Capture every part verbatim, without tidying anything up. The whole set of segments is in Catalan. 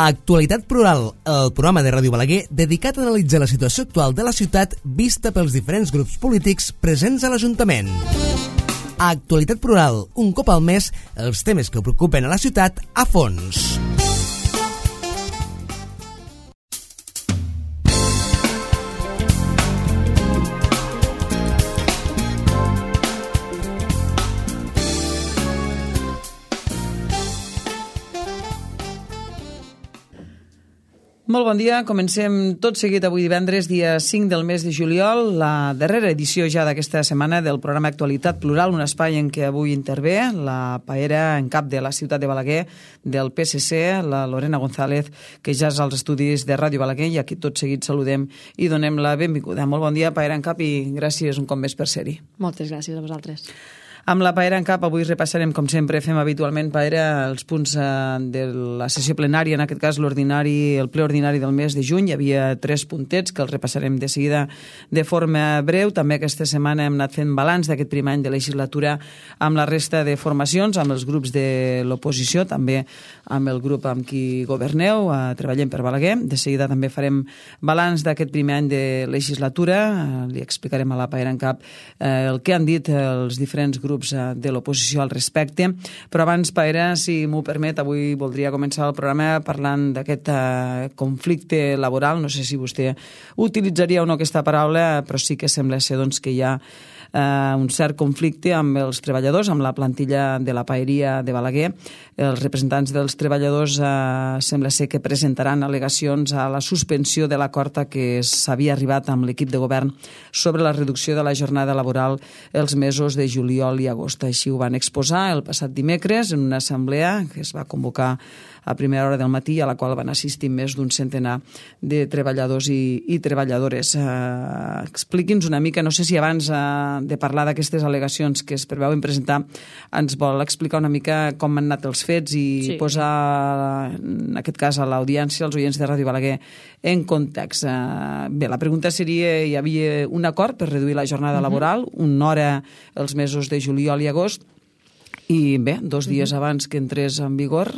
Actualitat Plural, el programa de Ràdio Balaguer dedicat a analitzar la situació actual de la ciutat vista pels diferents grups polítics presents a l'Ajuntament. Actualitat Plural, un cop al mes, els temes que preocupen a la ciutat a fons. Molt bon dia, comencem tot seguit avui divendres, dia cinc del mes de juliol, la darrera edició ja d'aquesta setmana del programa Actualitat Plural, un espai en què avui intervé la paera en cap de la ciutat de Balaguer del P S C, la Lorena González, que ja és als estudis de Ràdio Balaguer, i aquí tot seguit saludem i donem la benvinguda. Molt bon dia, paera en cap, i gràcies un cop més per ser-hi. Moltes gràcies a vosaltres. Amb la paera en cap, avui repassarem, com sempre fem habitualment, paera, els punts eh, de la sessió plenària, en aquest cas l'ordinari, el ple ordinari del mes de juny. Hi havia tres puntets que els repassarem de seguida de forma breu. També aquesta setmana hem anat fent balanç d'aquest primer any de legislatura amb la resta de formacions, amb els grups de l'oposició, també amb el grup amb qui governeu, eh, treballem per Balaguer. De seguida també farem balanç d'aquest primer any de legislatura. Eh, li explicarem a la paera en cap eh, el que han dit els diferents grups grups de l'oposició al respecte. Però abans, Paera, si m'ho permet, avui voldria començar el programa parlant d'aquest uh, conflicte laboral. No sé si vostè utilitzaria o no aquesta paraula, però sí que sembla ser doncs, que hi ha Uh, un cert conflicte amb els treballadors, amb la plantilla de la paeria de Balaguer. Els representants dels treballadors uh, sembla ser que presentaran al·legacions a la suspensió de l'acord a què s'havia arribat amb l'equip de govern sobre la reducció de la jornada laboral els mesos de juliol i agost. Així ho van exposar el passat dimecres en una assemblea que es va convocar a primera hora del matí, a la qual van assistir més d'un centenar de treballadors i, i treballadores. Uh, Expliqui'ns una mica, no sé si abans uh, de parlar d'aquestes al·legacions que es preveuen presentar, ens vol explicar una mica com han anat els fets i sí. posar, en aquest cas, a l'audiència, als oients de Ràdio Balaguer, en context. Uh, bé, la pregunta seria, hi havia un acord per reduir la jornada uh-huh. laboral, una hora els mesos de juliol i agost, i bé, dos dies uh-huh. abans que entrés en vigor,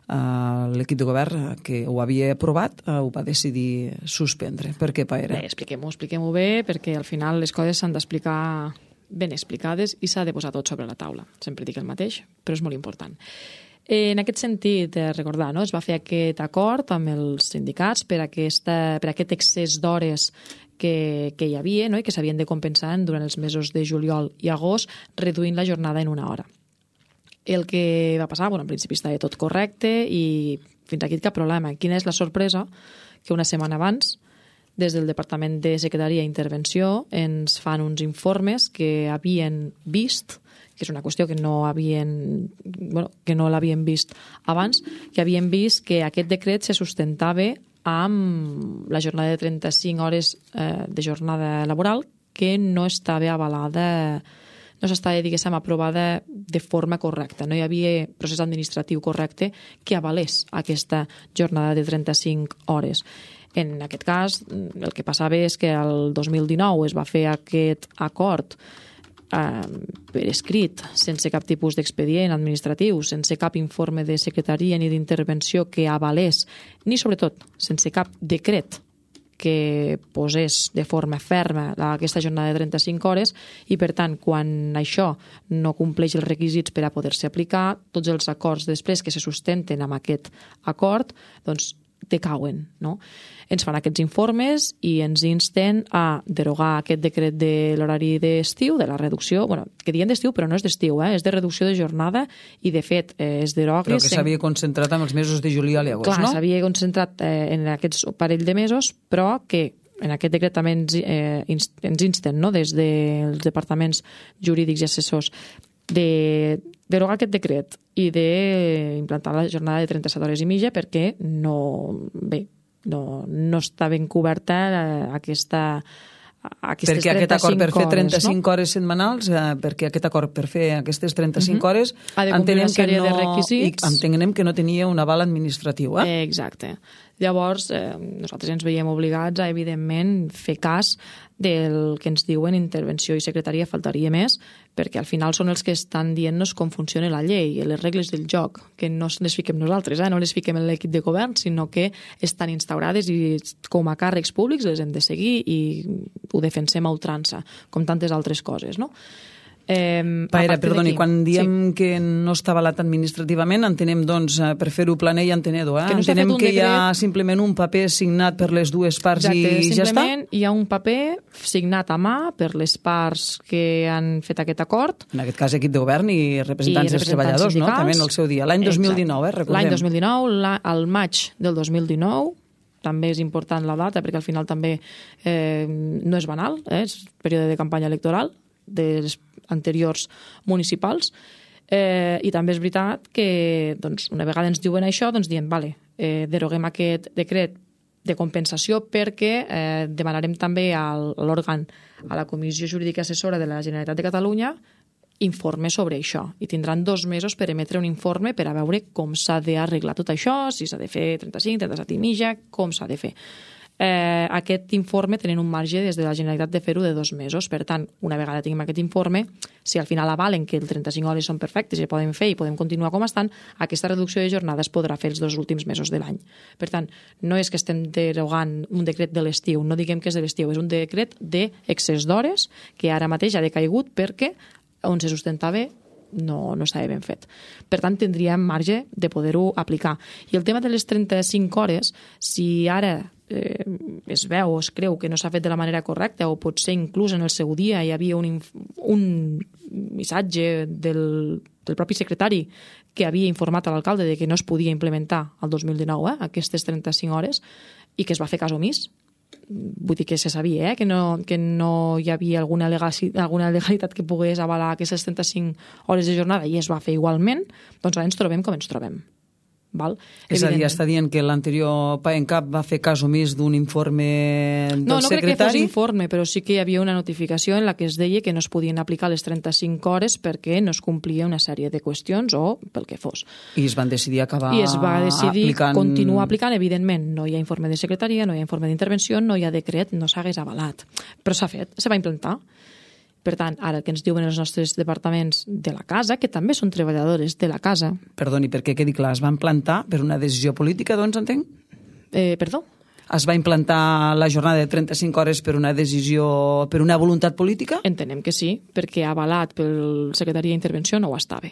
Uh, l'equip de govern que ho havia aprovat uh, ho va decidir suspendre. Per què, Paera? Bé, expliquem-ho, expliquem-ho bé, perquè al final les coses s'han d'explicar ben explicades i s'ha de posar tot sobre la taula. Sempre dic el mateix, però és molt important. Eh, en aquest sentit, eh, recordar, no? es va fer aquest acord amb els sindicats per, aquesta, per aquest excés d'hores que, que hi havia, no? I que s'havien de compensar durant els mesos de juliol i agost, reduint la jornada en una hora. El que va passar, bueno, en principi estava tot correcte i fins aquí cap problema. Quina és la sorpresa? Que una setmana abans, des del Departament de Secretaria i Intervenció, ens fan uns informes que havien vist, que és una qüestió que no havien, bueno, que no l'havien vist abans, que havien vist que aquest decret se sustentava amb la jornada de trenta-cinc hores eh, de jornada laboral que no estava avalada, no s'estava, diguéssim, aprovada de forma correcta. No hi havia procés administratiu correcte que avalés aquesta jornada de trenta-cinc hores. En aquest cas, el que passava és que el dos mil dinou es va fer aquest acord eh, per escrit, sense cap tipus d'expedient administratiu, sense cap informe de secretaria ni d'intervenció que avalés, ni sobretot sense cap decret que posés de forma ferma aquesta jornada de trenta-cinc hores i, per tant, quan això no compleix els requisits per a poder-se aplicar, tots els acords després que se sustenten amb aquest acord, doncs, decauen, no? Ens fan aquests informes i ens insten a derogar aquest decret de l'horari d'estiu, de la reducció, bueno, que diem d'estiu però no és d'estiu, eh? És de reducció de jornada i, de fet, eh, es deroga... Però que s'havia concentrat en els mesos de juliol i agost, Clar, no? Clar, s'havia concentrat eh, en aquests parell de mesos, però que en aquest decret també ens, eh, ens insten, no?, des dels departaments jurídics i assessors, de derogar aquest decret i d'implantar la jornada de trenta-set hores i mitja perquè no, bé, no, no està ben coberta aquesta, aquestes perquè aquest acord per fer trenta-cinc hores, no? hores setmanals, eh, perquè aquest acord per fer aquestes trenta-cinc uh-huh. hores entenem que, no, de requisits. entenem que no tenia un aval administratiu. Eh? Eh, exacte. Llavors, eh, nosaltres ens veiem obligats a, evidentment, fer cas del que ens diuen intervenció i secretaria, faltaria més, perquè al final són els que estan dient-nos com funciona la llei, les regles del joc, que no les fiquem nosaltres, eh? no les fiquem en l'equip de govern, sinó que estan instaurades i com a càrrecs públics les hem de seguir i ho defensem a ultrança, com tantes altres coses, no? Eh, Paera, perdoni, quan diem sí. que no està avalat administrativament, entenem, doncs, per fer-ho planer i entenedor, eh? Que no entenem que decret... hi ha simplement un paper signat per les dues parts. Exacte, i ja està? Simplement hi ha un paper signat a mà per les parts que han fet aquest acord. En aquest cas, equip de govern i representants, I representants dels treballadors, sindicals. No? També en el seu dia. L'any dos mil dinou, eh? Recordem. L'any dos mil dinou, la, al maig del dos mil dinou, també és important la data, perquè al final també eh, no és banal, eh? És període de campanya electoral, dels anteriors municipals, eh, i també és veritat que doncs, una vegada ens diuen això, doncs diem, vale, eh, deroguem aquest decret de compensació perquè eh, demanarem també a l'òrgan, a la Comissió Jurídica Assessora de la Generalitat de Catalunya, informe sobre això, i tindran dos mesos per emetre un informe per a veure com s'ha d'arreglar tot això, si s'ha de fer trenta-cinc, trenta-set i mitja, com s'ha de fer. Eh, aquest informe tenen un marge des de la Generalitat de fer-ho de dos mesos. Per tant, una vegada tinguem aquest informe, si al final avalen que el trenta-cinc hores són perfectes i poden fer i podem continuar com estan, aquesta reducció de jornada es podrà fer els dos últims mesos de l'any. Per tant, no és que estem derogant un decret de l'estiu, no diguem que és de l'estiu, és un decret d'excés d'hores que ara mateix ha decaigut perquè on se sustentava no, no estava ben fet. Per tant, tindríem marge de poder-ho aplicar. I el tema de les trenta-cinc hores, si ara eh, es veu o es creu que no s'ha fet de la manera correcta o potser inclús en el seu dia hi havia un, un missatge del, del propi secretari que havia informat a l'alcalde de que no es podia implementar el dos mil dinou eh, aquestes trenta-cinc hores i que es va fer cas omís, vull dir que se sabia eh, que, no, que no hi havia alguna, legaci, alguna legalitat que pogués avalar aquestes trenta-cinc hores de jornada i es va fer igualment, doncs ara ens trobem com ens trobem. Val? És a dir, està dient que l'anterior PAENCAP va fer cas omís d'un informe del secretari? No, no crec que fos informe, però sí que hi havia una notificació en la que es deia que no es podien aplicar les trenta-cinc hores perquè no es complia una sèrie de qüestions o pel que fos. I es van decidir acabar I es va decidir aplicant... continuar aplicant, evidentment. No hi ha informe de secretaria, no hi ha informe d'intervenció, no hi ha decret, no s'hagués avalat. Però s'ha fet, se va implantar. Per tant, ara el que ens diuen els nostres departaments de la casa, que també són treballadores de la casa... Perdoni, perquè quedi clar, es van plantar per una decisió política, doncs, entenc? Eh, perdó? Es va implantar la jornada de trenta-cinc hores per una decisió, per una voluntat política? Entenem que sí, perquè avalat pel secretari d'Intervenció no ho estava.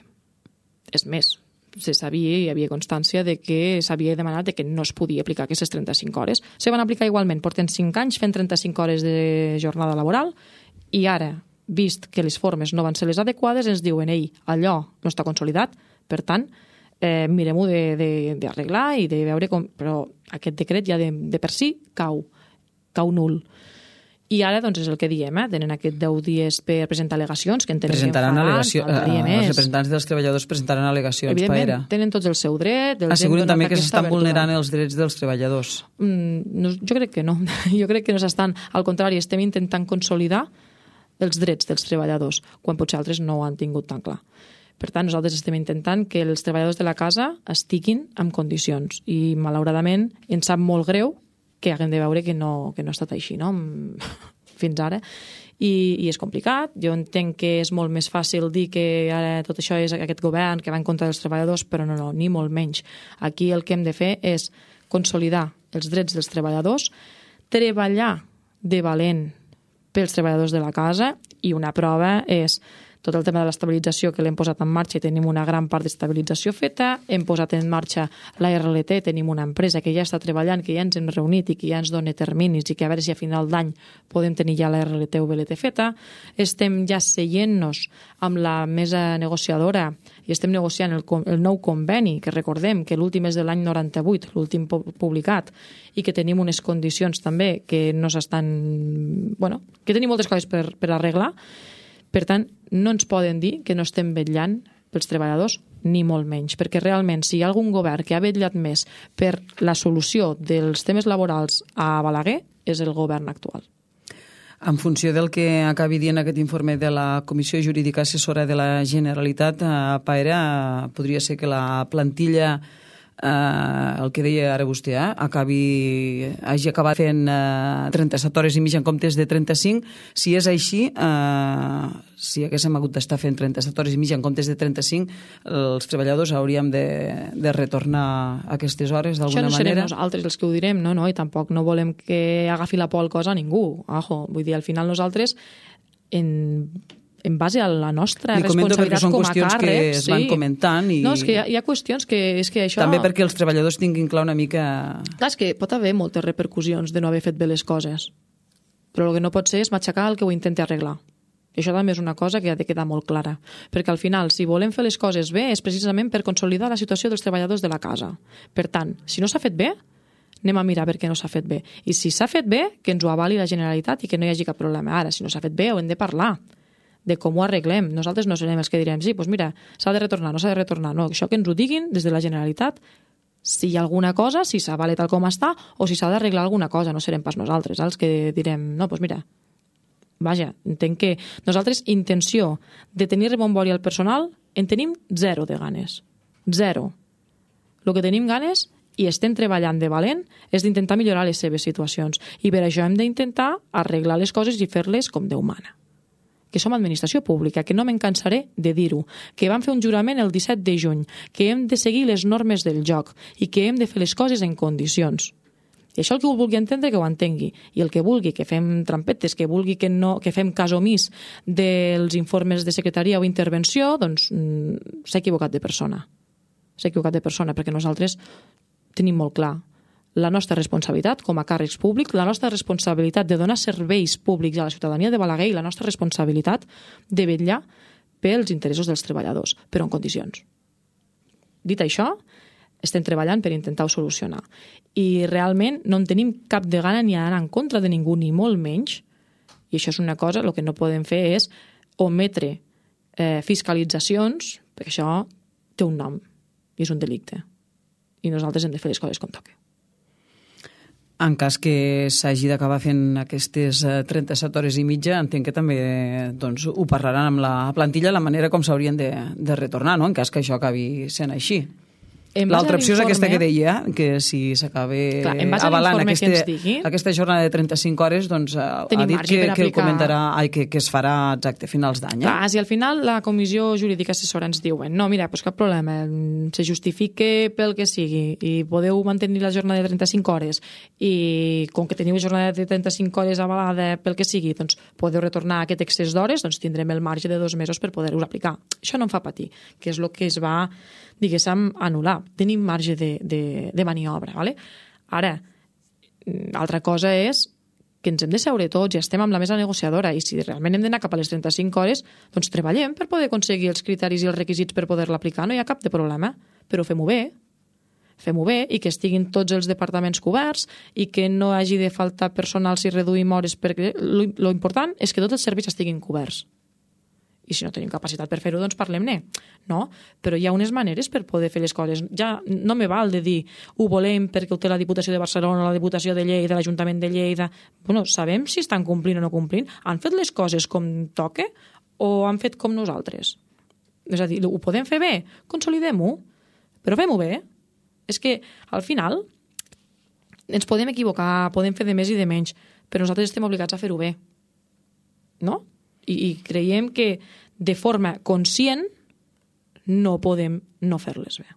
És més, se sabia i hi havia constància de que s'havia demanat de que no es podia aplicar aquestes trenta-cinc hores. Se van aplicar igualment, porten cinc anys fent trenta-cinc hores de jornada laboral i ara, vist que les formes no van ser les adequades, ens diuen, ei, allò no està consolidat, per tant, eh, mirem-ho d'arreglar i de veure com... Però aquest decret ja de, de per si cau, cau nul. I ara, doncs, és el que diem, eh? Tenen aquest deu dies per presentar al·legacions, que entenem presentaran que al·legació, eh, els representants dels treballadors presentaran al·legacions. Evidentment, Paera. Tenen tots el seu dret. Asseguren també que s'estan vulnerant els drets dels treballadors. Mm, no, jo crec que no. Jo crec que no s'estan... Al contrari, estem intentant consolidar els drets dels treballadors, quan potser altres no ho han tingut tan clar. Per tant, nosaltres estem intentant que els treballadors de la casa estiguin en condicions i, malauradament, ens sap molt greu que haguem de veure que no, que no ha estat així, no? Fins ara. I, i és complicat. Jo entenc que és molt més fàcil dir que ara tot això és aquest govern que va en contra dels treballadors, però no, no, ni molt menys. Aquí el que hem de fer és consolidar els drets dels treballadors, treballar de valent pels treballadors de la casa i una prova és tot el tema de l'estabilització que l'hem posat en marxa i tenim una gran part d'estabilització feta, hem posat en marxa la R L T, tenim una empresa que ja està treballant, que ja ens hem reunit i que ja ens dona terminis i que a veure si a final d'any podem tenir ja la R L T o V L T feta, estem ja seient-nos amb la mesa negociadora i estem negociant el, el nou conveni, que recordem que l'últim és de l'any noranta-vuit, l'últim publicat, i que tenim unes condicions també que no s'estan... Bueno, que tenim moltes coses per, per arreglar. Per tant, no ens poden dir que no estem vetllant pels treballadors, ni molt menys, perquè realment si hi ha algun govern que ha vetllat més per la solució dels temes laborals a Balaguer és el govern actual. En funció del que acabi dient aquest informe de la Comissió Jurídica Assessora de la Generalitat, a Paera, podria ser que la plantilla eh, el que deia ara vostè, eh, acabi, hagi acabat fent eh, trenta-set hores i mitja en comptes de trenta-cinc, si és així, eh, si haguéssim hagut d'estar fent trenta-set hores i mitja en comptes de trenta-cinc, els treballadors hauríem de, de retornar a aquestes hores d'alguna manera. Això no serem nosaltres els que ho direm, no, no, i tampoc no volem que agafi la por al cos a ningú. Ajo, vull dir, al final nosaltres, en, en base a la nostra responsabilitat com a càrrecs... Són qüestions que es van sí. comentant i... No, és que hi ha, hi ha qüestions que... És que això... També perquè els treballadors tinguin clar una mica... Clar, és que pot haver moltes repercussions de no haver fet bé les coses, però el que no pot ser és matxacar el que ho intenti arreglar. I això també és una cosa que ha de quedar molt clara, perquè al final, si volem fer les coses bé, és precisament per consolidar la situació dels treballadors de la casa. Per tant, si no s'ha fet bé, anem a mirar per què no s'ha fet bé. I si s'ha fet bé, que ens ho avali la Generalitat i que no hi hagi cap problema. Ara, si no s'ha fet bé, ho hem de parlar de com ho arreglem. Nosaltres no serem els que direm, sí, doncs mira, s'ha de retornar, no s'ha de retornar. No, això que ens ho diguin des de la Generalitat, si hi ha alguna cosa, si s'avale tal com està, o si s'ha d'arreglar alguna cosa, no serem pas nosaltres els que direm, no, doncs mira, vaja, entenc que nosaltres intenció de tenir rebombori al personal en tenim zero de ganes. Zero. El que tenim ganes i estem treballant de valent és d'intentar millorar les seves situacions. I per això hem d'intentar arreglar les coses i fer-les com Déu mana. Que som administració pública, que no me'n cansaré de dir-ho, que vam fer un jurament el disset de juny, que hem de seguir les normes del joc i que hem de fer les coses en condicions. I això el que ho vulgui entendre, que ho entengui. I el que vulgui que fem trampetes, que vulgui que, no, que fem cas omís dels informes de secretaria o intervenció, doncs mm, s'ha equivocat de persona. S'ha equivocat de persona, perquè nosaltres tenim molt clar la nostra responsabilitat com a càrrecs públics, la nostra responsabilitat de donar serveis públics a la ciutadania de Balaguer i la nostra responsabilitat de vetllar pels interessos dels treballadors, però en condicions. Dit això, estem treballant per intentar-ho solucionar. I realment no en tenim cap de gana ni anar en contra de ningú, ni molt menys. I això és una cosa, el que no podem fer és ometre eh, fiscalitzacions, perquè això té un nom i és un delicte. I nosaltres hem de fer les coses com toca. En cas que s'hagi d'acabar fent aquestes trenta-set hores i mitja, entenc que també doncs, ho parlaran amb la plantilla la manera com s'haurien de, de retornar, no? En cas que això acabi sent així. L'altra opció és aquesta que deia, que si s'acaba avalant aquesta, aquesta jornada de trenta-cinc hores, doncs ha dit que, que el comentarà, ai, que, que es farà exacte a finals d'any. Eh? Clar, si al final la comissió jurídica assessora ens diuen no, mira, doncs cap problema, se justifique pel que sigui i podeu mantenir la jornada de trenta-cinc hores i com que teniu jornada de trenta-cinc hores avalada pel que sigui, doncs podeu retornar aquest excés d'hores, doncs tindrem el marge de dos mesos per poder-ho aplicar. Això no em fa patir, que és el que es va, diguéssim, anul·lar. Tenim marge de, de, de maniobra. Vale? Ara, altra cosa és que ens hem de seure tots i estem amb la mesa negociadora i si realment hem d'anar cap a les trenta-cinc hores, doncs treballem per poder aconseguir els criteris i els requisits per poder-la aplicar. No hi ha cap de problema, però fem-ho bé. Fem-ho bé i que estiguin tots els departaments coberts i que no hagi de faltar personal si reduïm hores, perquè lo important és que tots els serveis estiguin coberts. I si no tenim capacitat per fer-ho, doncs parlem-ne. No? Però hi ha unes maneres per poder fer les coses. Ja no me val de dir ho volem perquè ho té la Diputació de Barcelona, la Diputació de Lleida, l'Ajuntament de Lleida. Bueno, sabem si estan complint o no complint. Han fet les coses com toca o han fet com nosaltres? És a dir, ho podem fer bé? Consolidem-ho. Però fem-ho bé. És que, al final, ens podem equivocar, podem fer de més i de menys, però nosaltres estem obligats a fer-ho bé. No? I, i creiem que de forma conscient no podem no fer-les bé.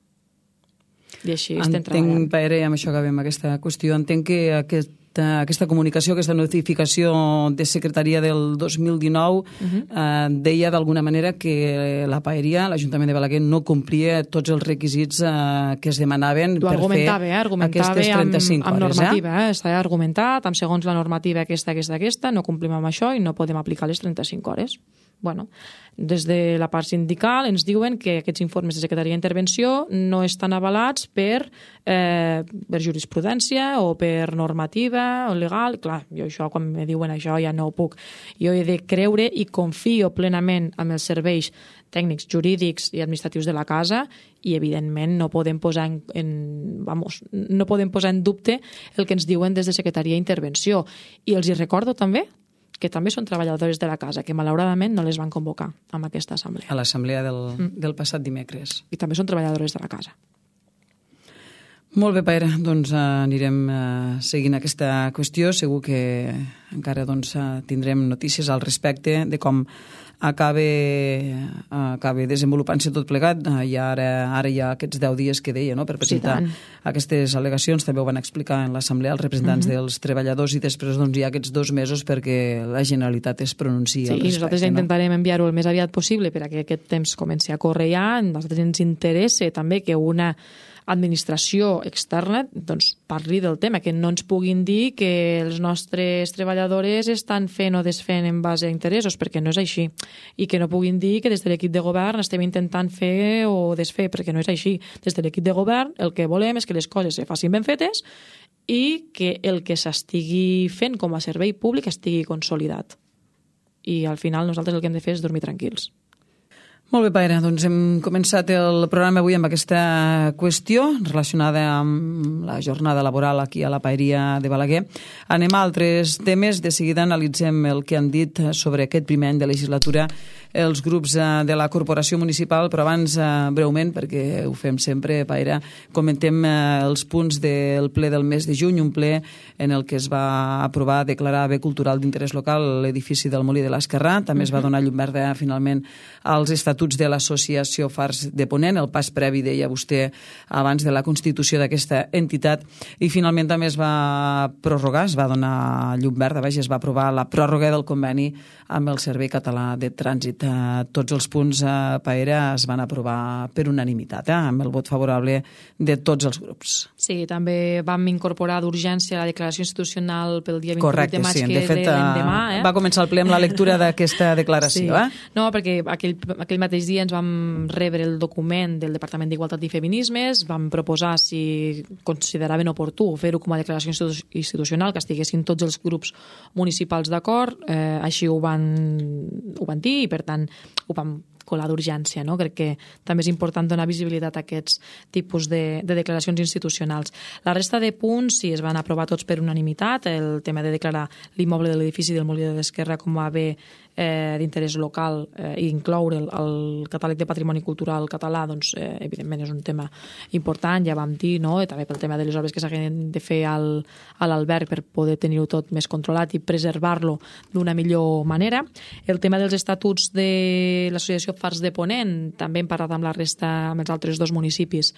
I així estem treballant. Entenc, Pere, amb això acabem aquesta qüestió, entenc que aquesta, aquesta comunicació, aquesta notificació de secretaria del dos mil dinou uh-huh. eh, deia d'alguna manera que la Paeria, l'Ajuntament de Balaguer, no complia tots els requisits eh, que es demanaven per fer eh? aquestes trenta-cinc amb, amb hores. normativa, eh? eh? Està argumentat, amb segons la normativa aquesta, aquesta, aquesta, no complim amb això i no podem aplicar les trenta-cinc hores. Bueno, des de la part sindical ens diuen que aquests informes de secretaria d'intervenció no estan avalats per, eh, per jurisprudència o per normativa o legal. Clar, jo això, quan me diuen això, ja no ho puc. Jo he de creure i confio plenament en els serveis tècnics, jurídics i administratius de la casa i, evidentment, no podem posar en, en, vamos, no podem posar en dubte el que ens diuen des de secretaria d'intervenció. I els hi recordo també que també són treballadores de la casa, que malauradament no les van convocar amb aquesta assemblea. A l'assemblea del, mm. del passat dimecres. I també són treballadores de la casa. Molt bé, Paire, doncs uh, anirem uh, seguint aquesta qüestió. Segur que encara doncs, uh, tindrem notícies al respecte de com acaba, uh, acaba desenvolupant-se tot plegat. Uh, I ara, ara hi ha aquests deu dies que deia, no?, per presentar sí, aquestes al·legacions. També ho van explicar en l'assemblea els representants uh -huh. dels treballadors i després doncs, hi ha aquests dos mesos perquè la Generalitat es pronunciï sí, al respecte. Sí, nosaltres ja intentarem no? enviar-ho el més aviat possible perquè aquest temps comenci a córrer ja. A nosaltres ens interessa també que una administració externa doncs, parli del tema, que no ens puguin dir que els nostres treballadores estan fent o desfent en base a interessos, perquè no és així, i que no puguin dir que des de l'equip de govern estem intentant fer o desfer, perquè no és així. Des de l'equip de govern el que volem és que les coses se facin ben fetes i que el que s'estigui fent com a servei públic estigui consolidat. I al final nosaltres el que hem de fer és dormir tranquils. Molt bé, Paire, doncs hem començat el programa avui amb aquesta qüestió relacionada amb la jornada laboral aquí a la Paeria de Balaguer. Anem a altres temes. De seguida analitzem el que han dit sobre aquest primer any de legislatura els grups de la Corporació Municipal, però abans, breument, perquè ho fem sempre, Paire, comentem els punts del ple del mes de juny, un ple en el que es va aprovar declarar bé cultural d'interès local l'edifici del Molí de l'Esquerrà. També es va donar llum verda, finalment, als estatuts de l'Associació Fars de Ponent, el pas previ, deia vostè, abans de la constitució d'aquesta entitat, i finalment també es va prorrogar, es va donar llum verda, vaja, es va aprovar la pròrroga del conveni amb el Servei Català de Trànsit. Tots els punts, Paire, es van aprovar per unanimitat, eh? Amb el vot favorable de tots els grups. Sí, també vam incorporar d'urgència la declaració institucional pel dia vint-i-vuit Correcte, de maig, sí, que de és fet, l'endemà. Eh? Va començar el ple amb la lectura d'aquesta declaració. Sí. Eh? No, perquè aquell, aquell mateix dia ens vam rebre el document del Departament d'Igualtat i Feminismes, vam proposar si consideraven oportú fer-ho com a declaració institucional, que estiguessin tots els grups municipals d'acord, eh, així ho van, ho van dir i per tant ho vam colar d'urgència, no? Crec que també és important donar visibilitat a aquests tipus de, de declaracions institucionals. La resta de punts sí es van aprovar tots per unanimitat, el tema de declarar l'immoble de l'edifici del Molí de l'Esquerra com a bé eh, d'interès local eh, i incloure el, el catàleg de patrimoni cultural català, doncs eh, evidentment és un tema important, ja vam dir, no? I també pel tema de les obres que s'han de fer al, a l'alberg per poder tenir-ho tot més controlat i preservar-lo d'una millor manera. El tema dels estatuts de l'Associació Fars de Ponent, també hem parlat amb la resta, amb els altres dos municipis,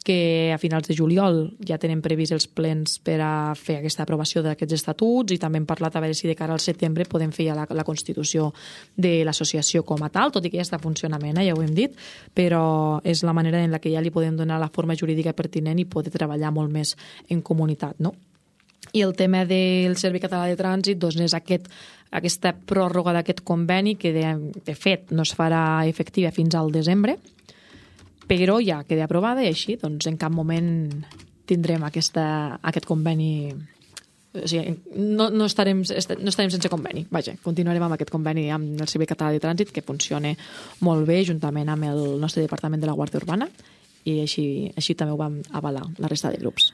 que a finals de juliol ja tenen previst els plens per a fer aquesta aprovació d'aquests estatuts i també hem parlat a veure si de cara al setembre podem fer ja la, la constitució de l'associació com a tal, tot i que ja està en funcionament, eh, ja ho hem dit, però és la manera en la que ja li podem donar la forma jurídica pertinent i poder treballar molt més en comunitat, no? I el tema del Servei Català de Trànsit doncs és aquest, aquesta pròrroga d'aquest conveni que de, de fet no es farà efectiva fins al desembre, però ja queda aprovada i així doncs en cap moment tindrem aquesta, aquest conveni, o sigui, no, no, estarem, no estarem sense conveni, vaja, continuarem amb aquest conveni amb el Servei Català de Trànsit que funciona molt bé juntament amb el nostre Departament de la Guàrdia Urbana i així, així també ho vam avalar la resta de grups.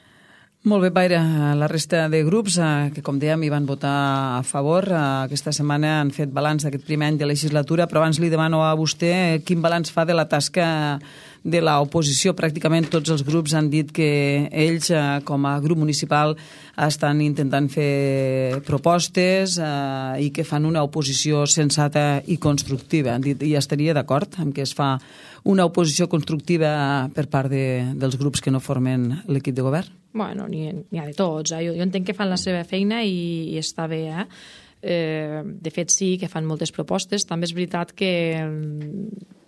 Molt bé, Paire. La resta de grups eh, que, com dèiem, hi van votar a favor. Eh, aquesta setmana han fet balanç d'aquest primer any de legislatura, però abans li demano a vostè quin balanç fa de la tasca de l'oposició. Pràcticament tots els grups han dit que ells, eh, com a grup municipal, estan intentant fer propostes eh, i que fan una oposició sensata i constructiva. Han dit, i estaria d'acord amb que es fa una oposició constructiva per part de, dels grups que no formen l'equip de govern? Bueno, n'hi ha de tots. Eh? Jo, jo entenc que fan la seva feina i, i està bé, eh? Eh, de fet sí que fan moltes propostes. També és veritat que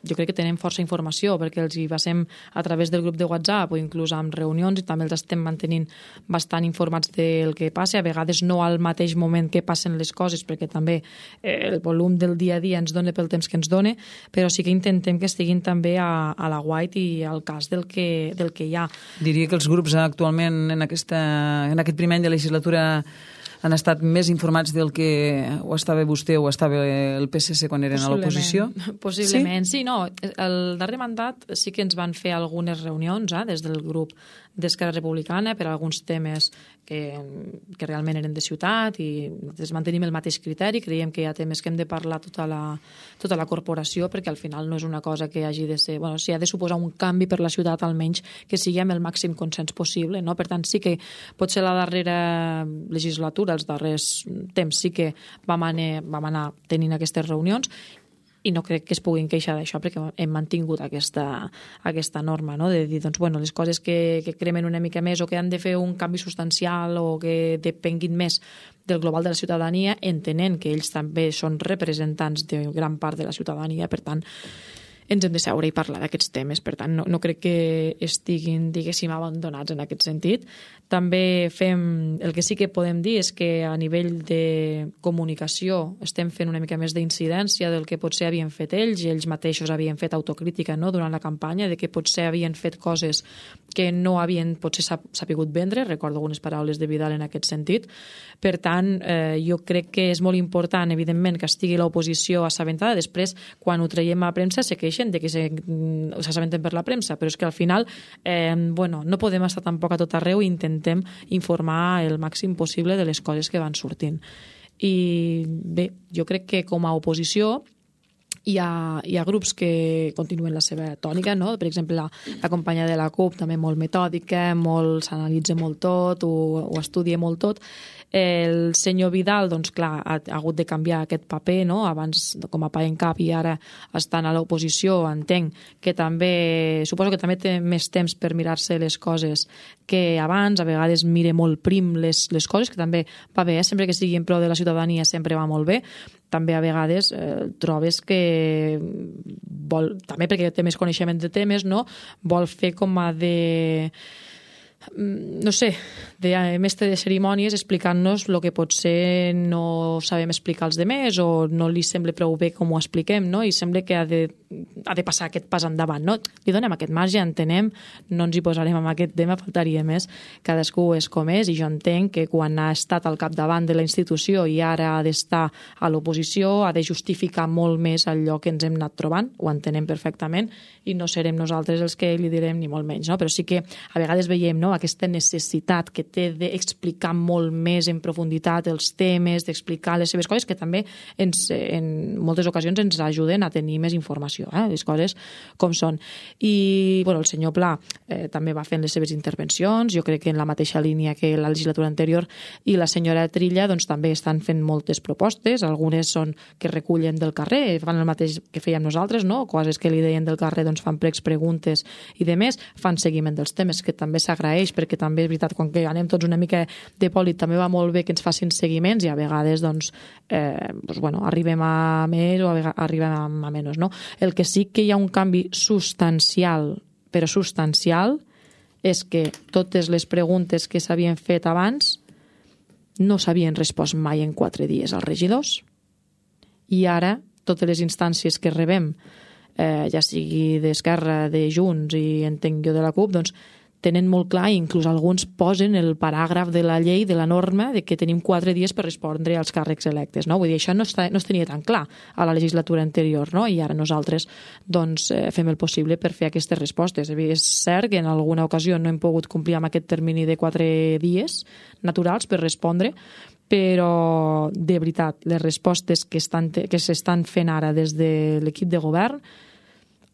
jo crec que tenen força informació perquè els hi passem a través del grup de WhatsApp o inclús amb reunions i també els estem mantenint bastant informats del que passa, a vegades no al mateix moment que passen les coses perquè també eh, el volum del dia a dia ens dona pel temps que ens dona, però sí que intentem que estiguin també a, a la guait i al cas del que, del que hi ha. Diria que els grups actualment en, aquesta, en aquest primer any de legislatura han estat més informats del que ho estava vostè o estava el P S C quan eren a l'oposició? Possiblement, sí? sí, no. El darrer mandat sí que ens van fer algunes reunions eh, des del grup d'Esquerra Republicana per a alguns temes que, que realment eren de ciutat i nosaltres mantenim el mateix criteri, creiem que hi ha temes que hem de parlar tota la, tota la corporació perquè al final no és una cosa que hagi de ser, bueno, si ha de suposar un canvi per la ciutat almenys que sigui amb el màxim consens possible, no? Per tant sí que potser la darrera legislatura, els darrers temps sí que vam anar, vam anar tenint aquestes reunions i no crec que es puguin queixar d'això perquè hem mantingut aquesta, aquesta norma, no? De dir, doncs, bueno, les coses que, que cremen una mica més o que han de fer un canvi substancial o que depenguin més del global de la ciutadania, entenent que ells també són representants de gran part de la ciutadania, per tant, ens hem de seure i parlar d'aquests temes. Per tant, no, no crec que estiguin, diguéssim, abandonats en aquest sentit. També fem, el que sí que podem dir és que a nivell de comunicació estem fent una mica més d'incidència del que potser havien fet ells, i ells mateixos havien fet autocrítica, no?, durant la campanya, de que potser havien fet coses que no havien potser sapigut vendre. Recordo algunes paraules de Vidal en aquest sentit. Per tant, eh, jo crec que és molt important, evidentment, que estigui l'oposició assabentada. Després, quan ho traiem a premsa, se queixen de que s'assabenten per la premsa, però és que al final eh, bueno, no podem estar tampoc a tot arreu i intentem informar el màxim possible de les coses que van sortint. I bé, jo crec que com a oposició hi ha, hi ha grups que continuen la seva tònica, no? Per exemple, la, la companya de la CUP també molt metòdica, molt, s'analitza molt tot, ho, ho estudia molt tot. El senyor Vidal, doncs clar, ha, ha hagut de canviar aquest paper, no? Abans com a pa en cap i ara estant a l'oposició, entenc que també, suposo que també té més temps per mirar-se les coses que abans, a vegades mire molt prim les, les coses, que també va bé, eh? Sempre que sigui en pro de la ciutadania sempre va molt bé. També a vegades eh, trobes que vol, també perquè té més coneixement de temes, no? Vol fer com a de, no sé, de mestre de cerimònies explicant-nos el que potser no sabem explicar als demés o no li sembla prou bé com ho expliquem, no? I sembla que ha de, ha de passar aquest pas endavant, no? Li donem aquest marge, entenem, no ens hi posarem amb aquest tema, faltaria més, cadascú és com és, i jo entenc que quan ha estat al capdavant de la institució i ara ha d'estar a l'oposició, ha de justificar molt més allò que ens hem anat trobant, ho entenem perfectament, i no serem nosaltres els que li direm ni molt menys, no? Però sí que a vegades veiem, no?, aquesta necessitat que té d'explicar molt més en profunditat els temes, d'explicar les seves coses, que també ens, en moltes ocasions ens ajuden a tenir més informació, eh? Les coses com són. I bueno, el senyor Pla eh, també va fent les seves intervencions, jo crec que en la mateixa línia que la legislatura anterior, i la senyora Trilla doncs, també estan fent moltes propostes, algunes són que recullen del carrer, fan el mateix que fèiem nosaltres, no? Coses que li deien del carrer doncs, fan pregs, preguntes i de més, fan seguiment dels temes, que també s'agraeix, perquè també és veritat, quan que anem tots una mica de pòlit, també va molt bé que ens facin seguiments i a vegades doncs, eh, doncs, bueno, arribem a més o a vegades arribem a, a menys, no? El que sí que hi ha un canvi substancial, però substancial, és que totes les preguntes que s'havien fet abans no s'havien respost mai en quatre dies als regidors, i ara totes les instàncies que rebem, eh, ja sigui d'Esquerra, de Junts i entenc jo de la CUP, doncs tenen molt clar, i inclús alguns posen el paràgraf de la llei, de la norma, de que tenim quatre dies per respondre als càrrecs electes, no? Vull dir, això no, està, no es tenia tan clar a la legislatura anterior, no? I ara nosaltres doncs, eh, fem el possible per fer aquestes respostes. És cert que en alguna ocasió no hem pogut complir amb aquest termini de quatre dies naturals per respondre, però de veritat, les respostes que estan, que s'estan fent ara des de l'equip de govern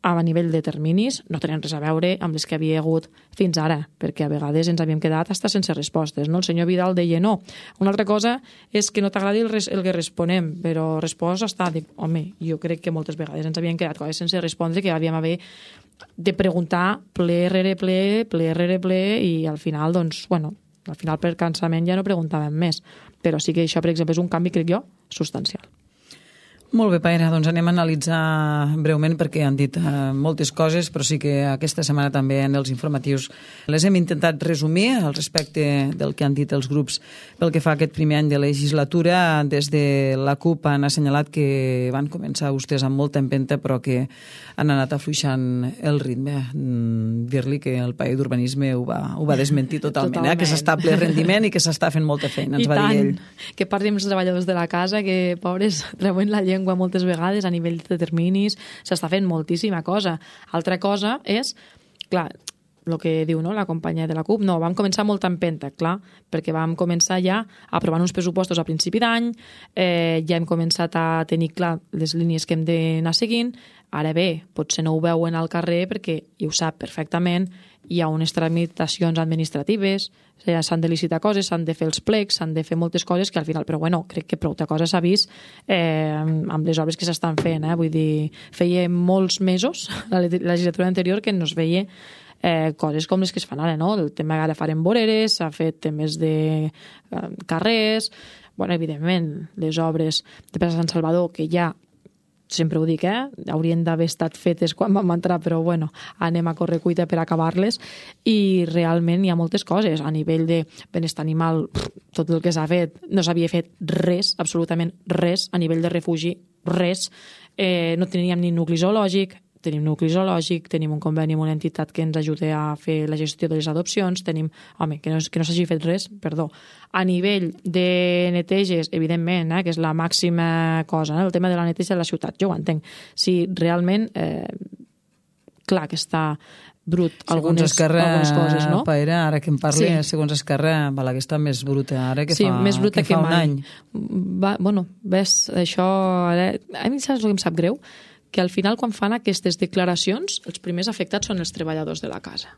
a nivell de terminis no tenen res a veure amb les que havia hagut fins ara, perquè a vegades ens havíem quedat hasta sense respostes, no? El senyor Vidal deia no. Una altra cosa és que no t'agradi el, res, el que responem, però resposta està, dic, home, jo crec que moltes vegades ens havien quedat coses sense respondre que havíem haver de preguntar ple rere ple, ple rere ple, i al final, doncs, bueno, al final per cansament ja no preguntàvem més, però sí que això, per exemple, és un canvi, crec jo, substancial. Molt bé, Paera, doncs anem a analitzar breument perquè han dit uh, moltes coses, però sí que aquesta setmana també en els informatius les hem intentat resumir al respecte del que han dit els grups pel que fa a aquest primer any de legislatura. Des de la CUP han assenyalat que van començar vostès amb molta empenta però que han anat afluixant el ritme. Mm, dir-li que el país d'urbanisme ho va, ho va desmentir totalment, totalment. Eh? Que s'està a ple rendiment i que s'està fent molta feina, ens I va tant, dir ell. Que parli amb els treballadors de la casa, que pobres treuen la llengua moltes vegades a nivell de determinis, s'està fent moltíssima cosa. Altra cosa és, clar, el que diu no, la companya de la CUP, no, vam començar molt empenta, clar, perquè vam començar ja aprovant uns pressupostos a principi d'any, eh, ja hem començat a tenir clar les línies que hem d'anar seguint. Ara bé, potser no ho veuen al carrer perquè, i ho sap perfectament, hi ha unes tramitacions administratives, s'han de licitar coses, s'han de fer els plecs, s'han de fer moltes coses que al final, però bueno, crec que prou de coses s'ha vist eh, amb les obres que s'estan fent, eh? Vull dir, feia molts mesos, la legislatura anterior, que no es veia eh, coses com les que es fan ara, no? El tema ara farem voreres, s'ha fet temes de eh, carrers, bueno, evidentment, les obres de Plaça Sant Salvador, que ja sempre ho dic, eh? Haurien d'haver estat fetes quan vam entrar, però bueno, anem a corre cuita per acabar-les, i realment hi ha moltes coses. A nivell de benestar animal, tot el que s'ha fet, no s'havia fet res, absolutament res. A nivell de refugi, res. Eh, no teníem ni nucli zoològic, tenim nucli zoològic, tenim un conveni amb una entitat que ens ajuda a fer la gestió de les adopcions, tenim, home, que no, que no s'hagi fet res, perdó. A nivell de neteges, evidentment, eh, que és la màxima cosa, eh, el tema de la neteja de la ciutat, jo ho entenc. Si realment, eh, clar que està brut algunes, Esquerra, algunes coses, no? Paera, ara que em parli, sí. Segons Esquerra, Balaguer està més bruta ara que sí, fa, més bruta que fa que un mai. any. Va, bueno, ves, això... Ara, a mi saps el que em sap greu? Que al final, quan fan aquestes declaracions, els primers afectats són els treballadors de la casa.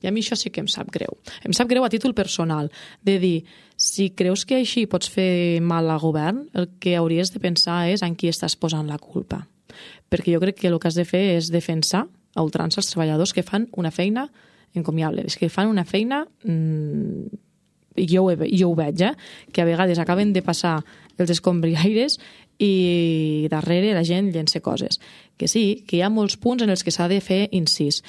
I a mi això sí que em sap greu. Em sap greu a títol personal, de dir, si creus que així pots fer mal al govern, el que hauries de pensar és en qui estàs posant la culpa. Perquè jo crec que el que has de fer és defensar a ultrança els treballadors que fan una feina encomiable, és que fan una feina... Mmm, i jo, ho, jo ho veig, eh? Que a vegades acaben de passar els escombriaires i darrere la gent llença coses. Que sí, que hi ha molts punts en els que s'ha de fer incís.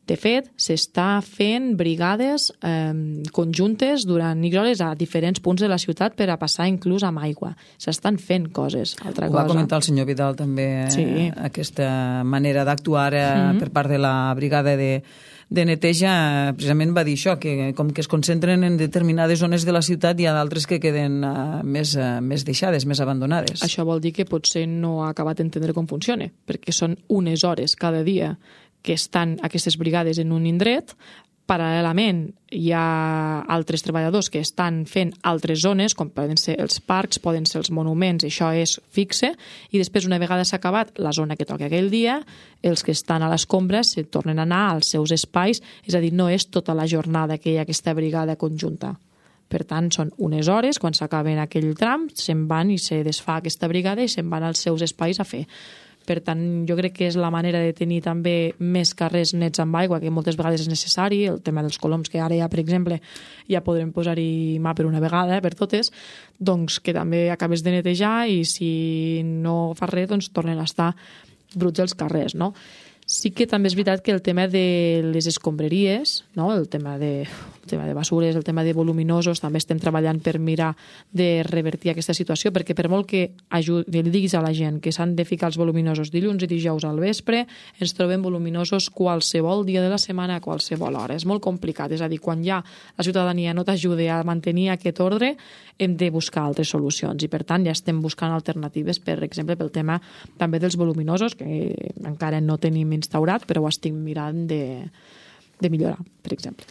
De fet, s'està fent brigades eh, conjuntes durant X hores a diferents punts de la ciutat per a passar inclús amb aigua. S'estan fent coses. Altra Ho cosa. va comentar el senyor Vidal també, sí. eh, aquesta manera d'actuar eh, mm-hmm. per part de la brigada de de neteja, precisament va dir això, que com que es concentren en determinades zones de la ciutat, hi ha d'altres que queden uh, més, uh, més deixades, més abandonades. Això vol dir que potser no ha acabat d'entendre com funciona, perquè són unes hores cada dia que estan aquestes brigades en un indret. Paral·lelament hi ha altres treballadors que estan fent altres zones, com poden ser els parcs, poden ser els monuments, això és fixe, i després, una vegada s'ha acabat la zona que toca aquell dia, els que estan a l'escombra se tornen a anar als seus espais, és a dir, no és tota la jornada que hi ha aquesta brigada conjunta. Per tant, són unes hores, quan s'acaben aquell tram, se'n van i se desfà aquesta brigada i se'n van als seus espais a fer. Per tant, jo crec que és la manera de tenir també més carrers nets amb aigua, que moltes vegades és necessari. El tema dels coloms, que ara ja, per exemple, ja podrem posar-hi mà per una vegada, per totes, doncs que també acabes de netejar i si no fas res, doncs tornen a estar bruts els carrers, no? Sí que també és veritat que el tema de les escombraries, no? el, tema de, el tema de basures, el tema de voluminosos, també estem treballant per mirar de revertir aquesta situació, perquè per molt que ajudi, li diguis a la gent que s'han de ficar els voluminosos dilluns i dijous al vespre, ens trobem voluminosos qualsevol dia de la setmana a qualsevol hora. És molt complicat, és a dir, quan ja la ciutadania no t'ajuda a mantenir aquest ordre, hem de buscar altres solucions i per tant ja estem buscant alternatives, per exemple, pel tema també dels voluminosos, que encara no tenim instaurat, però ho estic mirant de, de millorar, per exemple.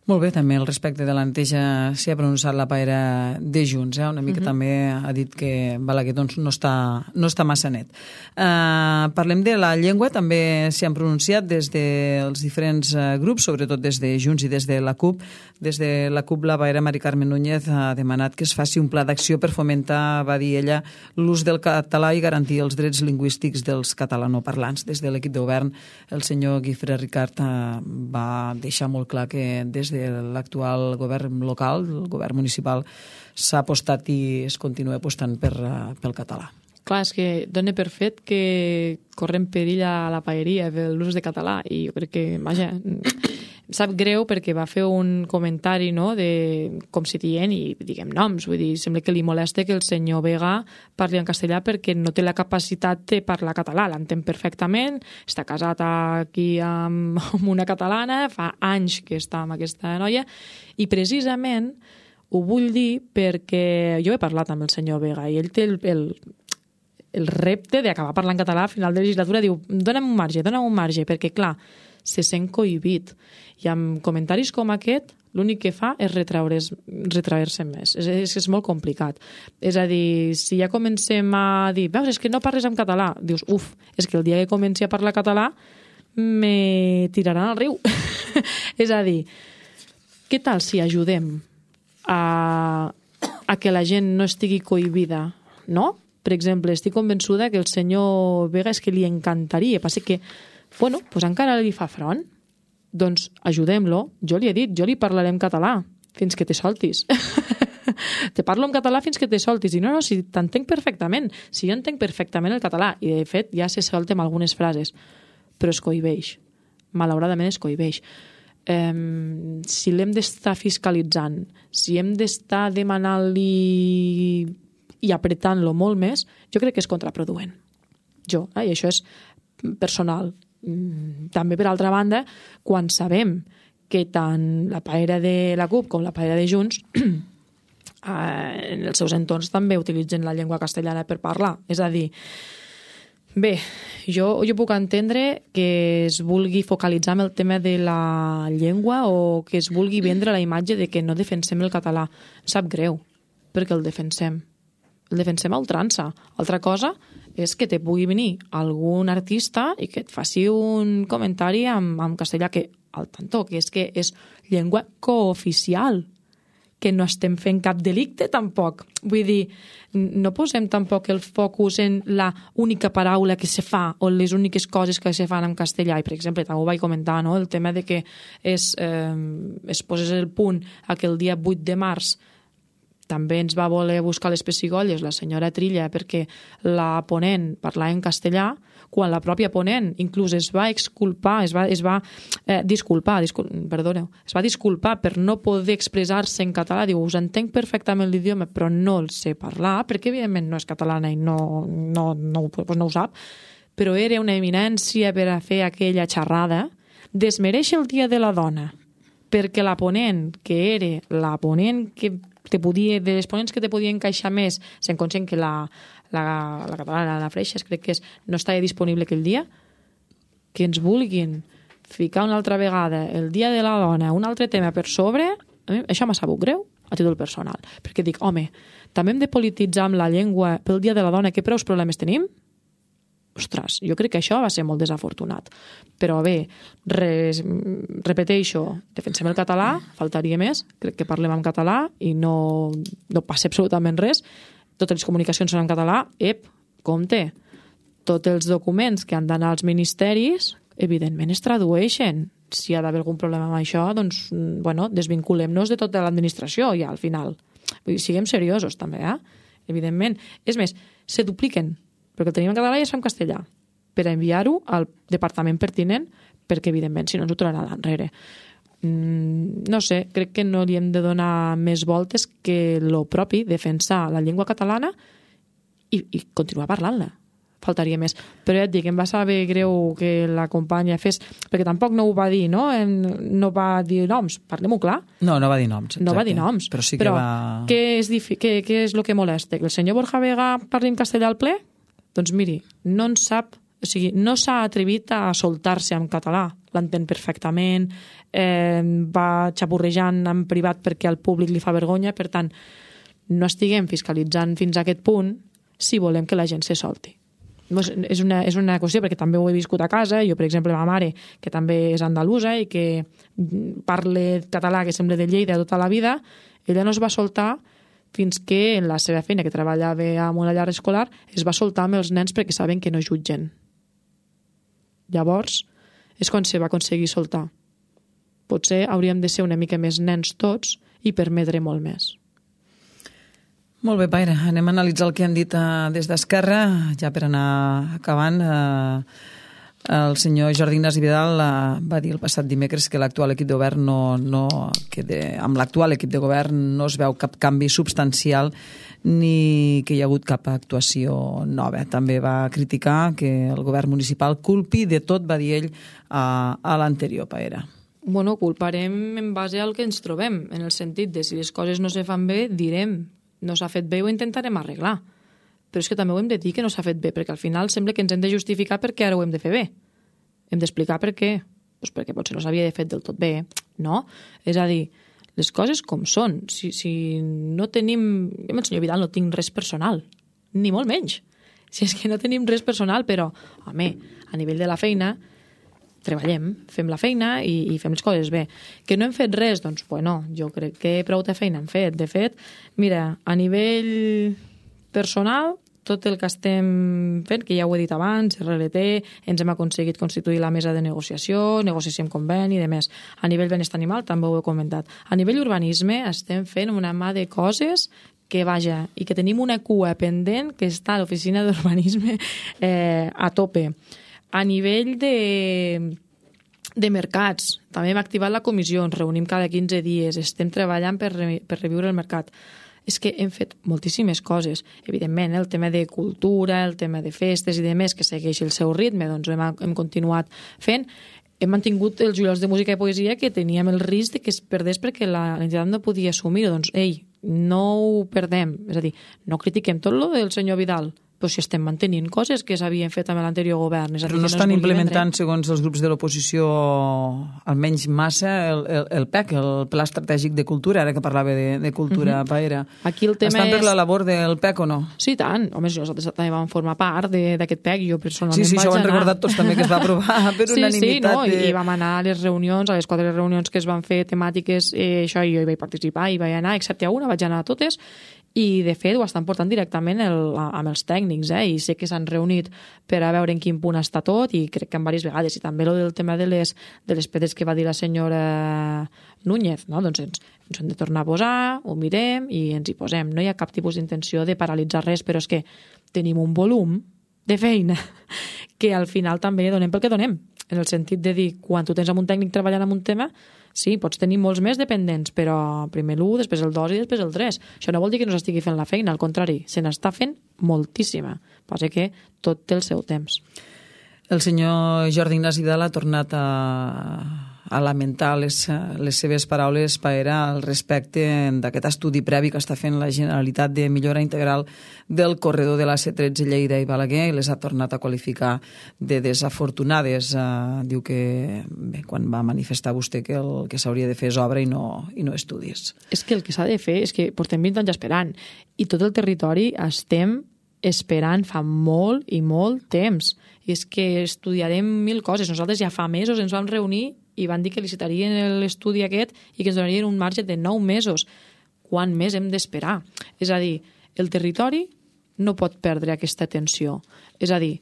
Molt bé, també al respecte de la neteja s'hi ha pronunciat la Paera de Junts, eh? Una mica uh-huh. també ha dit que Balaguer doncs, no, està, no està massa net. Uh, parlem de la llengua, també s'hi han pronunciat des dels diferents uh, grups, sobretot des de Junts i des de la CUP. Des de la CUP, la Paera Mari Carmen Núñez ha demanat que es faci un pla d'acció per fomentar, va dir ella, l'ús del català i garantir els drets lingüístics dels catalanoparlants. Des de l'equip de govern, el senyor Guifré Ricard uh, va deixar molt clar que des de l'actual govern local, el govern municipal, s'ha apostat i es continua apostant per, pel català. clar, és que dona per fet que correm perill a la paeria per l'ús de català i jo crec que, vaja, em sap greu perquè va fer un comentari, no?, de com si dient i diguem noms, vull dir, sembla que li molesta que el senyor Vega parli en castellà perquè no té la capacitat de parlar català, l'entén perfectament, està casat aquí amb, amb una catalana, fa anys que està amb aquesta noia i precisament ho vull dir perquè jo he parlat amb el senyor Vega i ell té el, el, el repte d'acabar parlant català a final de legislatura, diu, dona'm un marge, dona'm un marge, perquè clar, se sent cohibit. I amb comentaris com aquest, l'únic que fa és retraure's, retraure-se més. És, és, és molt complicat. És a dir, si ja comencem a dir, veus, és que no parles en català, dius, uf, és que el dia que comenci a parlar català me tiraran al riu. És a dir, què tal si ajudem a, a que la gent no estigui cohibida, no? Per exemple, estic convençuda que el senyor Vega és que li encantaria, passa que bueno, doncs encara li fa front. Doncs ajudem-lo. Jo li he dit, jo li parlaré en català fins que te soltis. Te parlo en català fins que te soltis. I no, no, si t'entenc perfectament. Si jo entenc perfectament el català. I de fet ja se solta amb algunes frases. Però es cohibeix. Malauradament es cohibeix. Um, si l'hem d'estar fiscalitzant, si hem d'estar demanant-li i apretant-lo molt més, jo crec que és contraproduent. Jo, eh? I això és personal. També, per altra banda, quan sabem que tant la paera de la CUP com la paera de Junts en els seus entorns també utilitzen la llengua castellana per parlar. És a dir, bé, jo, jo puc entendre que es vulgui focalitzar en el tema de la llengua o que es vulgui vendre la imatge de que no defensem el català. Em sap greu, perquè el defensem. El defensem a ultrança. Altra cosa és que te pugui venir algun artista i que et faci un comentari en, en castellà, que al tanto, que és que és llengua cooficial, que no estem fent cap delicte tampoc. Vull dir, no posem tampoc el focus en la única paraula que se fa o les úniques coses que se fan en castellà. I, per exemple, també ho vaig comentar, no?, el tema de que es, eh, es posés el punt a que el dia vuit de març també ens va voler buscar les pessigolles la senyora Trilla perquè la ponent parlava en castellà, quan la pròpia ponent inclús es va exculpar, es va, es va eh, disculpar, discul perdoneu, es va disculpar per no poder expressar-se en català. Diu, us entenc perfectament l'idioma, però no el sé parlar, perquè evidentment no és catalana i no, no, no, doncs no ho sap, però era una eminència per a fer aquella xerrada. Desmereix el Dia de la Dona, perquè la ponent, que era la ponent que te podia, de les ponents que te podia encaixar més, sent conscient que la, la, la catalana, la Freixas, crec que és, no estava disponible aquell dia, que ens vulguin ficar una altra vegada el Dia de la Dona, un altre tema per sobre, a mi això m'ha sabut greu a títol personal, perquè dic, home, també hem de polititzar amb la llengua pel Dia de la Dona, que preus problemes tenim? Ostres, jo crec que això va ser molt desafortunat. Però bé, res, repeteixo, defensem el català, faltaria més, crec que parlem en català i no, no passa absolutament res. Totes les comunicacions són en català, ep, compte, tots els documents que han d'anar als ministeris, evidentment es tradueixen. Si hi ha d'haver algun problema amb això, doncs, bueno, desvinculem-nos de tota l'administració ja al final. Vull dir, siguem seriosos també, eh? Evidentment. És més, se dupliquen, perquè el tenim en català i es fa en castellà, per enviar-ho al departament pertinent, perquè, evidentment, si no ens ho trobaran enrere. Mm, no sé, crec que no li hem de donar més voltes que lo propi, defensar la llengua catalana i, i continuar parlant-la. Faltaria més. Però ja et dic, em va saber greu que la companya fes, perquè tampoc no ho va dir, no? No va dir noms, parlem-ho clar. No, no va dir noms. Exacte. No va dir noms. Però sí que però va... Què és, què, què és el que molesta? Que el senyor Borja Vega parli en castellà al ple? Doncs miri, no en sap, o sigui, no s'ha atrevit a soltar-se en català, l'entén perfectament, eh, va xapurrejant en privat perquè al públic li fa vergonya, per tant, no estiguem fiscalitzant fins a aquest punt si volem que la gent se solti. És una, és una qüestió, perquè també ho he viscut a casa, jo, per exemple, ma mare, que també és andalusa i que parla català que sembla de Lleida tota la vida, ella no es va soltar fins que en la seva feina, que treballava amb una llar escolar, es va soltar amb els nens perquè saben que no jutgen. Llavors, és quan se va aconseguir soltar. Potser hauríem de ser una mica més nens tots i permetre molt més. Molt bé, Paire, anem a analitzar el que han dit uh, des d'Esquerra, ja per anar acabant. Uh, el senyor Jordi Ignasi Vidal uh, va dir el passat dimecres que l'actual equip de govern no, no, que de, amb l'actual equip de govern no es veu cap canvi substancial ni que hi ha hagut cap actuació nova. També va criticar que el govern municipal culpi de tot, va dir ell, a, a l'anterior, Paire. Bueno, culparem en base al que ens trobem, en el sentit de si les coses no se fan bé, direm no s'ha fet bé i ho intentarem arreglar. Però és que també ho hem de dir que no s'ha fet bé, perquè al final sembla que ens hem de justificar perquè ara ho hem de fer bé. Hem d'explicar per què. Pues perquè potser no s'havia de fet del tot bé, no? És a dir, les coses com són. Si, si no tenim... Jo amb el senyor Vidal no tinc res personal, ni molt menys. Si és que no tenim res personal, però, home, a nivell de la feina, treballem, fem la feina i, i fem les coses bé. Que no hem fet res? Doncs, bueno, jo crec que prou de feina hem fet. De fet, mira, a nivell personal, tot el que estem fent, que ja ho he dit abans, R L T, ens hem aconseguit constituir la mesa de negociació, negociació amb conveni i demés. A nivell benestar animal, també ho he comentat. A nivell urbanisme, estem fent una mà de coses que, vaja, i que tenim una cua pendent que està a l'oficina d'urbanisme eh, a tope. A nivell de, de mercats, també hem activat la comissió, ens reunim cada quinze dies, estem treballant per, re, per reviure el mercat. És que hem fet moltíssimes coses. Evidentment, el tema de cultura, el tema de festes i demés, que segueix el seu ritme, doncs hem, hem continuat fent. Hem mantingut els juliolars de música i poesia que teníem el risc de que es perdés perquè l'entitat no podia assumir-ho. Doncs, ei, no ho perdem. És a dir, no critiquem tot lo del senyor Vidal, però si estem mantenint coses que s'havien fet amb l'anterior govern. És a dir, però no que estan no implementant, segons els grups de l'oposició, almenys massa, el, el, el P E C, el Pla Estratègic de Cultura, ara que parlava de, de cultura, uh-huh. Paire. Aquí el tema estan per és... la labor del P E C o no? Sí, tant. Home, nosaltres també vam formar part d'aquest P E C. Jo personalment sí, sí, vaig això ho han anar... recordat tots també, que es va aprovar per sí, unanimitat. Sí, no? de... I vam anar a les reunions, a les quatre reunions que es van fer temàtiques, eh, això, i jo hi vaig participar, i vaig anar, excepte a una, vaig anar a totes, i de fet ho estan portant directament el, amb els tècnics, eh? I sé que s'han reunit per a veure en quin punt està tot, i crec que en diverses vegades, i també el del tema de les, de les pedres que va dir la senyora Núñez, no? Doncs ens, ens hem de tornar a posar, ho mirem i ens hi posem. No hi ha cap tipus d'intenció de paralitzar res, però és que tenim un volum de feina que al final també donem pel que donem, en el sentit de dir, quan tu tens amb un tècnic treballant en un tema, sí, pots tenir molts més dependents, però primer l'u, després el dos i després el tres. Això no vol dir que no s'estigui fent la feina, al contrari, se n'està fent moltíssima. Passa que tot té el seu temps. El senyor Jordi Ignasi Vidal ha tornat a, a lamentar les, les seves paraules, Paire, al respecte d'aquest estudi previ que està fent la Generalitat de millora integral del corredor de la C tretze Lleida i Balaguer, i les ha tornat a qualificar de desafortunades. Uh, diu que bé, quan va manifestar vostè que el que s'hauria de fer és obra i no, i no estudis. És que el que s'ha de fer és que portem vint anys esperant i tot el territori estem esperant fa molt i molt temps. I és que estudiarem mil coses. Nosaltres ja fa mesos ens vam reunir i van dir que licitarien l'estudi aquest i que ens donarien un marge de nou mesos. Quant més hem d'esperar? És a dir, el territori no pot perdre aquesta atenció. És a dir,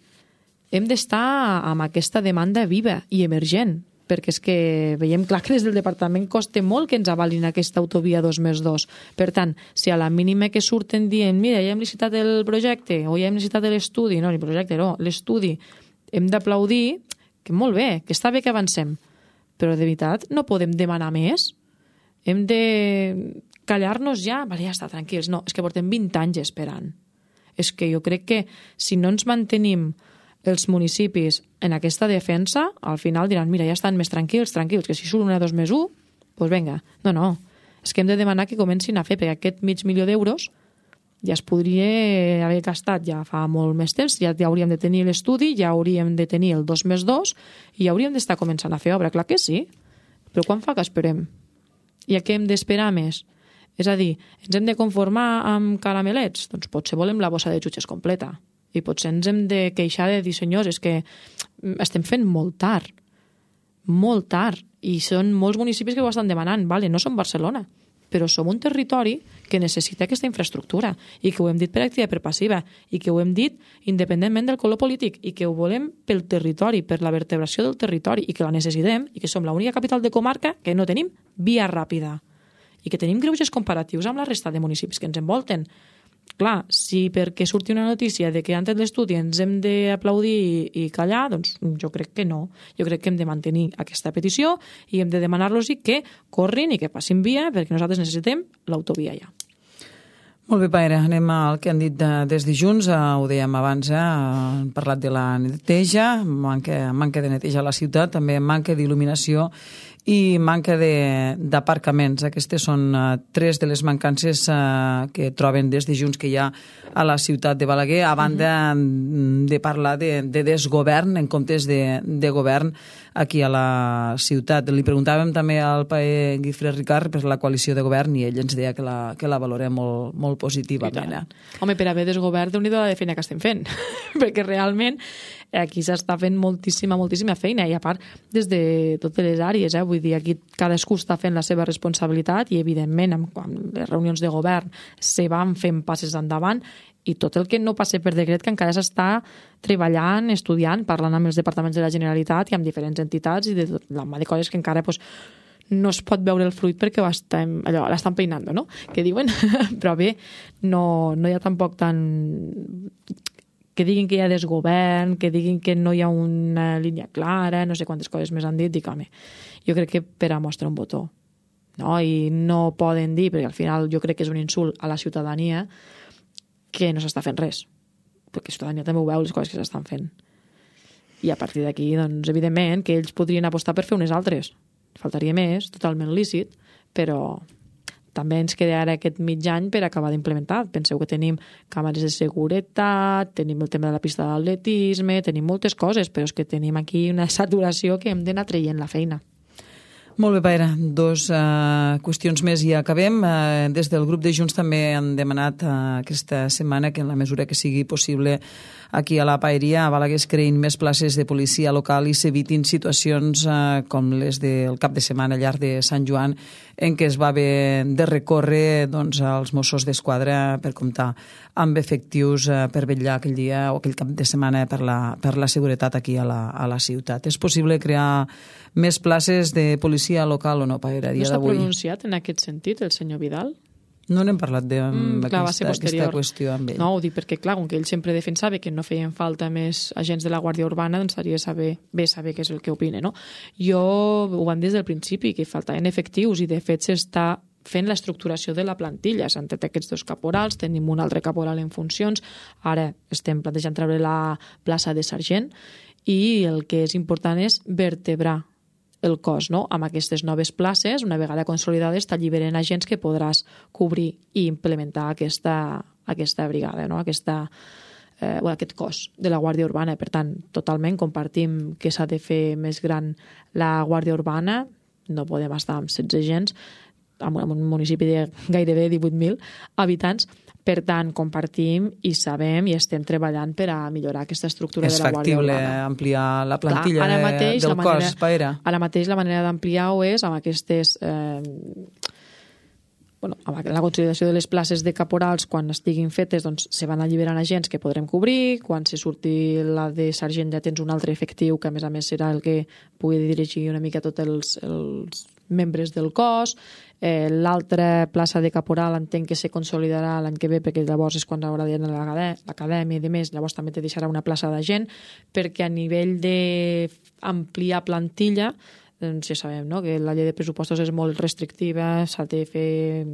hem d'estar amb aquesta demanda viva i emergent, perquè és que veiem clar que des del departament costa molt que ens avalin aquesta autovia dos més dos. Per tant, si a la mínima que surten dient mira, ja hem licitat el projecte o ja hem licitat l'estudi, no, el projecte no, l'estudi, hem d'aplaudir que molt bé, que està bé que avancem, però de veritat no podem demanar més. Hem de callar-nos ja, vale, ja està, tranquils. No, és que portem vint anys esperant. És que jo crec que si no ens mantenim els municipis en aquesta defensa, al final diran, mira, ja estan més tranquils, tranquils, que si surt una dos més un, doncs vinga. No, no, és que hem de demanar que comencin a fer, perquè aquest mig milió d'euros ja es podria haver gastat ja fa molt més temps, ja, ja hauríem de tenir l'estudi, ja hauríem de tenir el dos més dos i ja hauríem d'estar començant a fer obra, clar que sí, però quan fa que esperem? I a què hem d'esperar més? És a dir, ens hem de conformar amb caramelets? Doncs potser volem la bossa de jutges completa. I potser ens hem de queixar de dir, senyors, és que estem fent molt tard, molt tard, i són molts municipis que ho estan demanant, vale, no som Barcelona, però som un territori que necessita aquesta infraestructura i que ho hem dit per activa i per passiva i que ho hem dit independentment del color polític i que ho volem pel territori, per la vertebració del territori i que la necessitem i que som l'única capital de comarca que no tenim via ràpida i que tenim greuges comparatius amb la resta de municipis que ens envolten. Clar, si perquè surti una notícia de que antes de l'estudi ens hem d'aplaudir i, i callar, doncs jo crec que no. Jo crec que hem de mantenir aquesta petició i hem de demanar-los que corrin i que passin via, perquè nosaltres necessitem l'autovia ja. Molt bé, Paire, anem al que han dit de, des de Junts, eh, ho dèiem abans, eh, han parlat de la neteja, manca, manca de neteja a la ciutat, també manca d'il·luminació i manca d'aparcaments. Aquestes són uh, tres de les mancances uh, que troben des de Junts que hi ha a la ciutat de Balaguer, a banda mm-hmm. de parlar de, de desgovern en comptes de, de govern aquí a la ciutat. Li preguntàvem també al paer Guifré Ricard per la coalició de govern i ell ens deia que la, que la valorem molt, molt positivament. Home, per haver desgovern, déu-n'hi-do la de feina que estem fent, perquè realment aquí s'està fent moltíssima, moltíssima feina i a part des de totes les àrees, eh? Vull dir, aquí cadascú està fent la seva responsabilitat i evidentment amb, amb les reunions de govern se van fent passes endavant i tot el que no passa per decret que encara s'està treballant, estudiant, parlant amb els departaments de la Generalitat i amb diferents entitats i de tot la mà de coses que encara pues, no es pot veure el fruit perquè ho estem, allò, l'estan peinant, no? Que diuen, però bé, no, no hi ha tampoc tan... que diguin que hi ha desgovern, que diguin que no hi ha una línia clara, no sé quantes coses més han dit, dic, home, jo crec que per a mostrar un botó, no? I no poden dir, perquè al final jo crec que és un insult a la ciutadania que no s'està fent res, perquè la ciutadania també ho veu, les coses que s'estan fent. I a partir d'aquí, doncs, evidentment, que ells podrien apostar per fer unes altres. Faltaria més, totalment lícit, però també ens queda ara aquest mig any per acabar d'implementar. Penseu que tenim càmeres de seguretat, tenim el tema de la pista d'atletisme, tenim moltes coses, però és que tenim aquí una saturació que hem d'anar traient la feina. Molt bé, Paire. Dos uh, qüestions més i acabem. Uh, des del grup de Junts també han demanat uh, aquesta setmana que en la mesura que sigui possible aquí a la Paeria, a Balaguer, es creïn més places de policia local i s'evitin situacions uh, com les del cap de setmana llarg de Sant Joan en què es va haver de recórrer doncs, als Mossos d'Esquadra per comptar amb efectius uh, per vetllar aquell dia o aquell cap de setmana per la, per la seguretat aquí a la, a la ciutat. És possible crear més places de policia local o no, Paire, a dia d'avui? No s'ha pronunciat en aquest sentit el senyor Vidal? No n'hem parlat d'aquesta mm, qüestió amb ell. No, ho dic perquè, clar, com que ell sempre defensava que no feien falta més agents de la Guàrdia Urbana, doncs seria saber, bé saber què és el que opina, no? Jo ho vam des del principi, que faltaven efectius i, de fet, s'està fent l'estructuració de la plantilla. S'han tret aquests dos caporals, tenim un altre caporal en funcions, ara estem plantejant treure la plaça de sergent i el que és important és vertebrar el cos, no? Amb aquestes noves places, una vegada consolidades, t'alliberen agents que podràs cobrir i implementar aquesta, aquesta brigada, no? Aquesta, eh, bueno, aquest cos de la Guàrdia Urbana. Per tant, totalment compartim que s'ha de fer més gran la Guàrdia Urbana, no podem estar amb setze agents, en un municipi de gairebé divuit mil habitants. Per tant, compartim i sabem i estem treballant per a millorar aquesta estructura de la Guàrdia Urbana. És factible ampliar la plantilla Clar, mateix, del la manera, cos, Paire? Ara mateix la manera d'ampliar-ho és amb aquestes... Eh, bueno, amb la consolidació de les places de caporals, quan estiguin fetes, doncs se van alliberant agents que podrem cobrir, quan se surti la de sergent ja tens un altre efectiu que a més a més serà el que pugui dirigir una mica tots els, els membres del cos. Eh, l'altra plaça de caporal entenc que se consolidarà l'any que ve perquè llavors és quan haurà d'anar a l'acadèmia i de més, llavors també te deixarà una plaça d'agent perquè a nivell d'ampliar plantilla doncs ja sabem, no?, que la llei de pressupostos és molt restrictiva, s'ha de fer...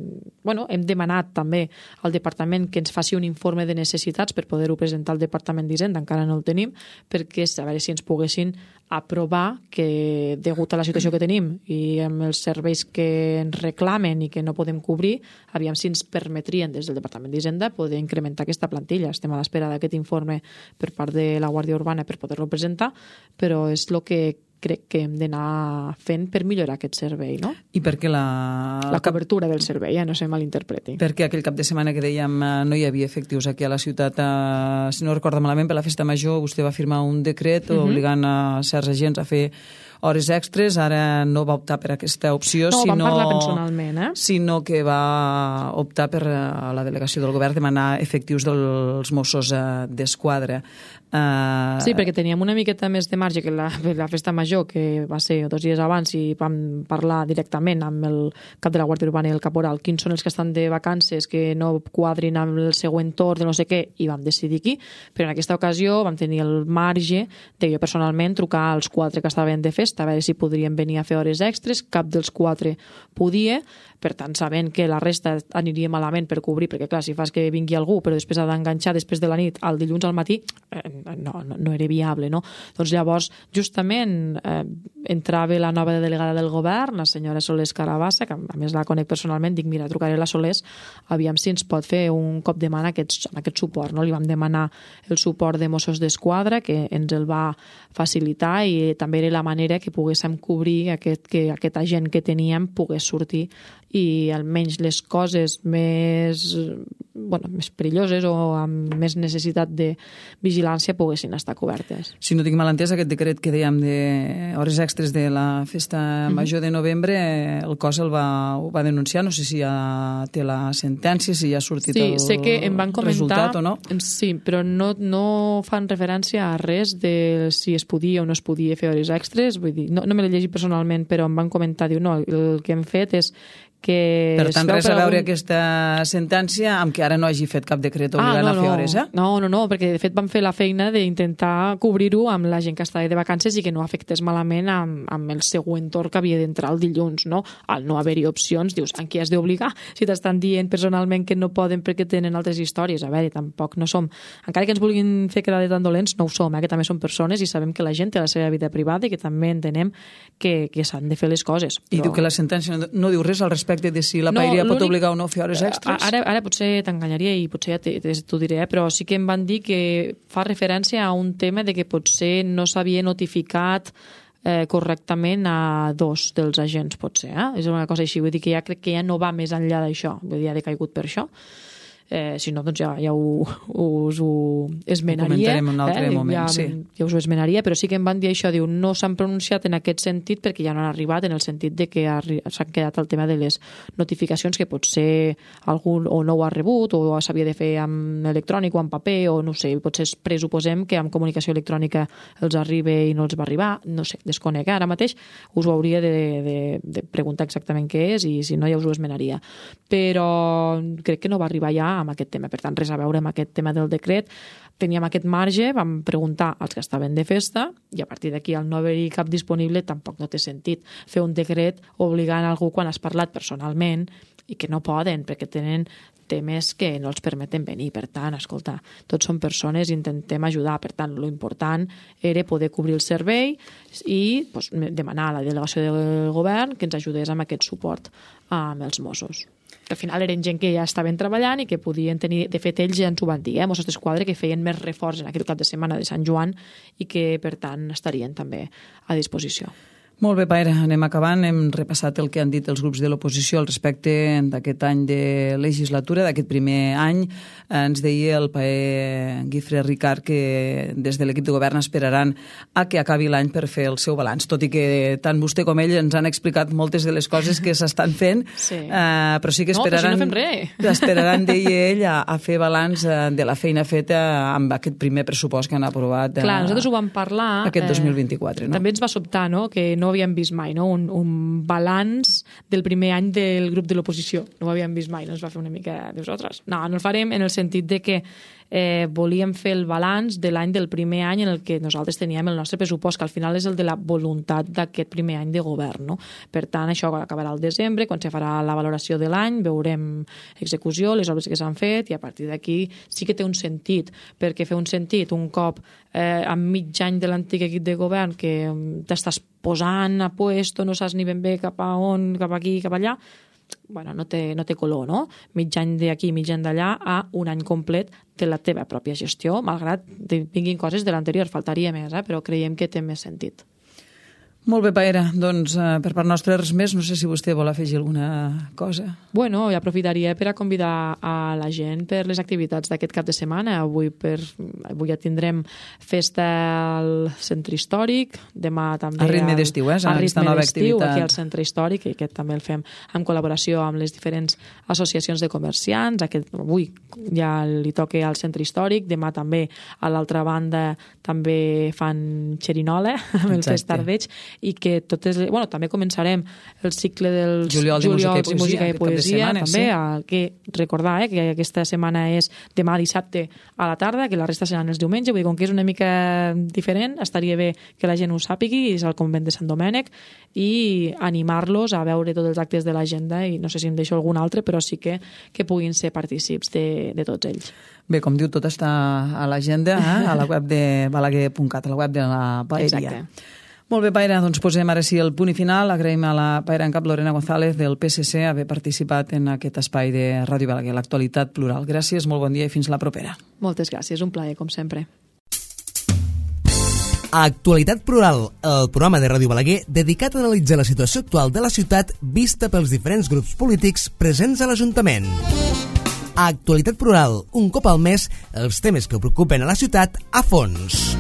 Bueno, hem demanat també al departament que ens faci un informe de necessitats per poder-ho presentar al Departament d'Hisenda, encara no el tenim, perquè a veure si ens poguessin aprovar que, degut a la situació que tenim i amb els serveis que ens reclamen i que no podem cobrir, aviam si ens permetrien des del Departament d'Hisenda poder incrementar aquesta plantilla. Estem a l'espera d'aquest informe per part de la Guàrdia Urbana per poder-lo presentar, però és el que crec que hem d'anar fent per millorar aquest servei, no? I perquè la... La cobertura del servei, eh? No se malinterpreti. Perquè aquell cap de setmana que dèiem no hi havia efectius aquí a la ciutat, eh, si no recordo malament, per la festa major vostè va firmar un decret uh-huh. obligant a certs agents a fer hores extres, ara no va optar per aquesta opció, no, sinó, vam parlar personalment, eh? sinó que va optar per a la delegació del govern demanar efectius dels Mossos d'Esquadra. Uh... Sí, perquè teníem una miqueta més de marge que la, la festa major, que va ser dos dies abans, i vam parlar directament amb el cap de la Guàrdia Urbana i el caporal quins són els que estan de vacances, que no quadrin amb el següent torn de no sé què, i vam decidir aquí. Però en aquesta ocasió vam tenir el marge de jo personalment trucar als quatre que estaven de festa, a veure si podrien venir a fer hores extres. Cap dels quatre podia, per tant, sabent que la resta aniria malament per cobrir, perquè clar, si fas que vingui algú però després ha d'enganxar després de la nit al dilluns al matí, eh, no, no, no era viable, no? Doncs llavors, justament, eh, entrava la nova delegada del govern, la senyora Solés Carabassa, que a més la conec personalment, dic, mira, trucaré a la Solés, aviam si ens pot fer un cop de mà en aquest, en aquest suport, no? Li vam demanar el suport de Mossos d'Esquadra, que ens el va facilitar, i també era la manera que poguéssim cobrir aquest, que aquest agent que teníem pogués sortir i almenys les coses més, bueno, més perilloses o amb més necessitat de vigilància poguessin estar cobertes. Si no tinc mal entès, aquest decret que dèiem de hores extres de la festa major de novembre, el cos el va, ho va denunciar, no sé si ja té la sentència, si ja ha sortit sí, el sé que em van comentar, resultat o no. Sí, però no, no fan referència a res de si es podia o no es podia fer hores extres, vull dir, no, no me l'he llegit personalment, però em van comentar, diu, no, el que hem fet és que... Per tant, res a veure algun... aquesta sentència amb que ara no hagi fet cap decret obligant ah, no, a fer no. hores, eh? No, no, no, perquè de fet vam fer la feina d'intentar cobrir-ho amb la gent que estava de vacances i que no afectés malament amb, amb el següent torn que havia d'entrar el dilluns, no? Al no haver-hi opcions, dius, en qui has d'obligar? Si t'estan dient personalment que no poden perquè tenen altres històries, a veure, tampoc no som... Encara que ens vulguin fer quedar de tan dolents, no ho som, eh? Que també som persones i sabem que la gent té la seva vida privada i que també entenem que, que s'han de fer les coses. I però... diu que la sentència no, no diu res al respecte de si la paeria no, pot obligar o no a fer hores extres? Ara, ara potser t'enganyaria i potser ja t'ho diré, però sí que em van dir que fa referència a un tema de que potser no s'havia notificat eh, correctament a dos dels agents, potser. Eh? És una cosa així, vull dir que ja crec que ja no va més enllà d'això, vull dir, ja ha decaigut per això. Eh, si no, doncs ja, ja ho, us ho esmenaria. Ho comentarem en un altre eh? moment, ja, sí. Ja us ho esmenaria, però sí que em van dir això, diu, no s'han pronunciat en aquest sentit perquè ja no han arribat, en el sentit de que s'han quedat el tema de les notificacions, que potser algú o no ho ha rebut o s'havia de fer amb electrònic o amb paper, o no sé, potser pressuposem que amb comunicació electrònica els arriba i no els va arribar, no sé, desconec. Ara mateix us ho hauria de, de, de preguntar exactament què és i si no ja us ho esmenaria. Però crec que no va arribar ja amb aquest tema, per tant res a veure amb aquest tema del decret. Teníem aquest marge, vam preguntar als que estaven de festa i a partir d'aquí al no haver-hi cap disponible tampoc no té sentit fer un decret obligant algú quan has parlat personalment i que no poden perquè tenen temes que no els permeten venir. Per tant, escolta, tots som persones i intentem ajudar. Per tant, lo important era poder cobrir el servei i pues, demanar a la delegació del govern que ens ajudés amb aquest suport amb els Mossos. Al final eren gent que ja estaven treballant i que podien tenir, de fet ells ja ens ho van dir, eh, Mossos d'Esquadra, que feien més reforç en aquest cap de setmana de Sant Joan i que per tant estarien també a disposició. Molt bé, Paera, anem acabant. Hem repassat el que han dit els grups de l'oposició al respecte d'aquest any de legislatura, d'aquest primer any. Ens deia el paer Guifré Ricard que des de l'equip de govern esperaran a que acabi l'any per fer el seu balanç, tot i que tant vostè com ell ens han explicat moltes de les coses que s'estan fent, sí. uh, però sí que esperaran, no, però si no fem res. esperaran, deia ell, a, a fer balanç de la feina feta amb aquest primer pressupost que han aprovat. Clar, nosaltres ho vam parlar... Aquest dos mil vint-i-quatre, no? També ens va sobtar, no?, que no havíem vist mai, no?, un, un balanç del primer any del grup de l'oposició. No ho havíem vist mai, no ens va fer una mica de nosaltres. No, no el farem en el sentit de que eh, volíem fer el balanç de l'any del primer any en el que nosaltres teníem el nostre pressupost, que al final és el de la voluntat d'aquest primer any de govern, no? Per tant, això acabarà al desembre, quan se farà la valoració de l'any, veurem execució, les obres que s'han fet, i a partir d'aquí sí que té un sentit, perquè fer un sentit un cop eh, a mig any de l'antic equip de govern que t'estàs posant a puesto, no saps ni ben bé cap a on, cap aquí, cap allà, bueno, no té, no té color, no? Mig any d'aquí, mig any d'allà, a un any complet de la teva pròpia gestió, malgrat que vinguin coses de l'anterior, faltaria més, eh? Però creiem que té més sentit. Molt bé, Paera. Doncs eh, per part nostra res més. No sé si vostè vol afegir alguna cosa. Bueno, i aprofitaria per a convidar a la gent per les activitats d'aquest cap de setmana. Avui, per, avui ja tindrem festa al centre històric, demà també... A ritme d'estiu, eh? A ritme nova d'estiu, activitat. aquí al centre històric, i aquest també el fem en col·laboració amb les diferents associacions de comerciants. Aquest, avui ja li toca al centre històric, demà també a l'altra banda també fan xerinola amb el Fest Tardeig, i que totes... Bueno, també començarem el cicle dels Juliols, Juliols i música i poesia, també, sí. a, que recordar eh, que aquesta setmana és demà dissabte a la tarda, que la resta seran els diumenge, vull dir, com que és una mica diferent, estaria bé que la gent ho sàpigui, és al convent de Sant Domènec, i animar-los a veure tots els actes de l'agenda, i no sé si em deixo algun altre, però sí que, que puguin ser partícips de, de tots ells. Bé, com diu, tot està a l'agenda, eh? A la web de balaguer punt cat, a la web de la paeria. Exacte. Molt bé, Paera, doncs posem ara sí el punt i final. Agraïm a la Paera en cap Lorena González del P S C haver participat en aquest espai de Ràdio Balaguer, l'actualitat plural. Gràcies, molt bon dia i fins la propera. Moltes gràcies, un plaer, com sempre. Actualitat Plural, el programa de Ràdio Balaguer dedicat a analitzar la situació actual de la ciutat vista pels diferents grups polítics presents a l'Ajuntament. Actualitat Plural, un cop al mes, els temes que preocupen a la ciutat a fons.